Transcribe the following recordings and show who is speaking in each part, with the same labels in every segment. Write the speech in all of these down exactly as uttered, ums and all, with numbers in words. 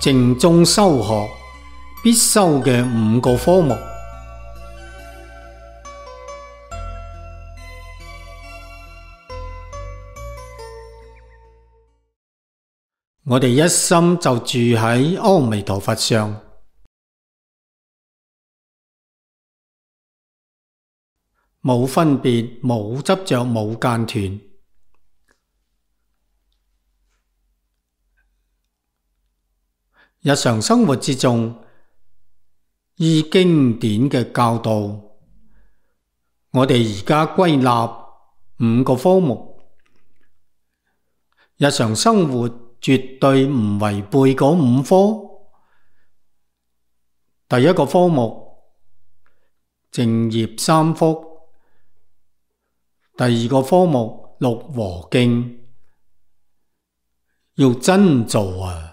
Speaker 1: 正宗修學必修嘅五個科目。我哋一心就住喺阿彌陀佛上，冇分別，冇執着，冇間斷。日常生活之中，依經典嘅教導，我哋而家歸納五個科目。日常生活絕對唔違背嗰五科。第一個科目，淨業三福；第二個科目，六和敬，要真做啊！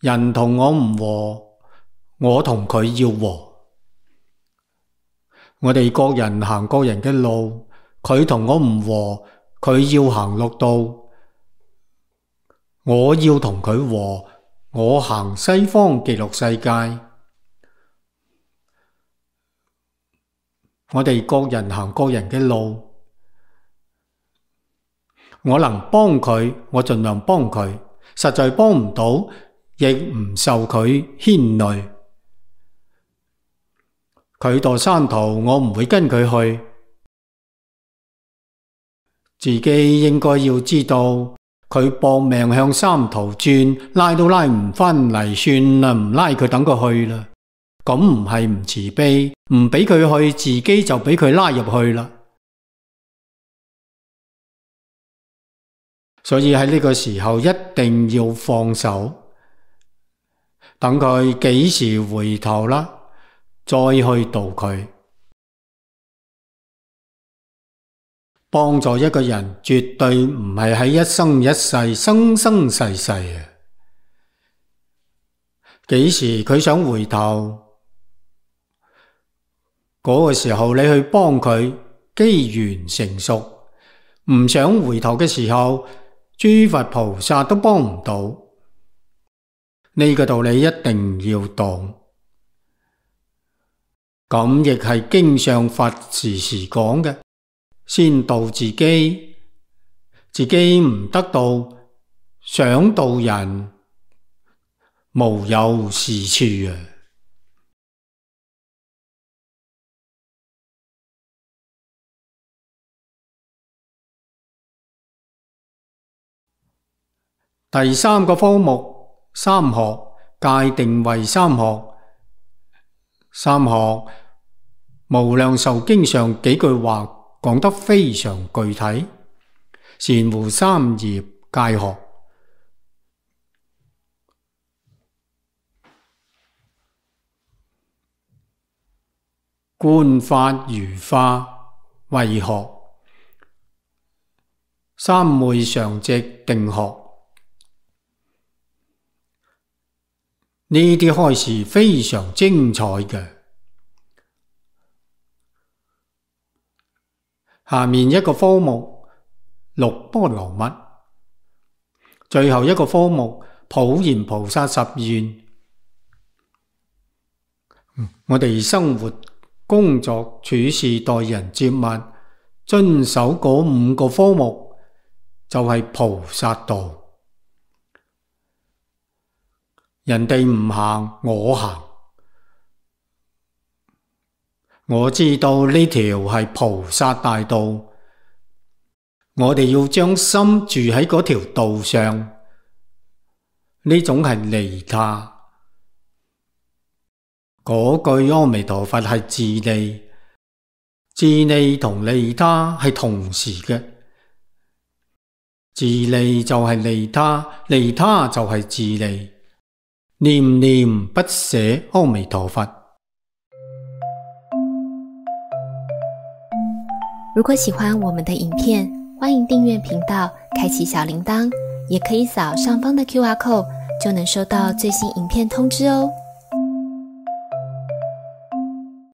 Speaker 1: 人同我唔和，我同佢要和。我哋各人行各人嘅路，佢同我唔和，佢要行六道，我要同佢和，我行西方極樂世界。我哋各人行各人嘅路，我能幫佢，我盡量幫佢，實在幫唔到，亦唔受佢牽累。佢墮山途，我唔會跟佢去。自己應該要知道，佢搏命向三途轉，拉都拉唔返嚟，算啦，唔拉佢，等佢去啦。咁唔係唔慈悲，唔俾佢去，自己就俾佢拉入去啦。所以喺呢個時候一定要放手，等佢幾時回頭啦，再去度佢。幫助一個人絕對唔係喺一生一世、生生世世啊！幾時佢想回頭，嗰個時候你去幫佢，機緣成熟。唔想回頭嘅時候，諸佛菩薩都幫唔到。呢個道理一定要懂。咁亦係經上佛時時講嘅，先度自己，自己唔得到，想度人，無有是處啊！第三個科目，三學，界定為三學。三學無量壽經上幾句話講得非常具體，善護三業戒學。觀法如化慧學，三昧常寂定學。呢啲開示非常精彩嘅。下面一個科目，六波羅蜜，最後一個科目，普賢菩薩十願。我哋生活、工作、處事、待人接物，遵守嗰五個科目，就係菩薩道。人哋唔行，我行。我知道呢條係菩薩大道，我哋要將心住喺嗰條道上，呢種係利他。嗰句阿彌陀佛係自利，自利同利他係同時嘅。自利就係利他，利他就係自利。念念不捨阿彌陀佛。
Speaker 2: 如果喜歡我們的影片，歡迎訂閱頻道，開啟小鈴鐺，也可以掃上方的 Q R code，就能收到最新影片通知哦。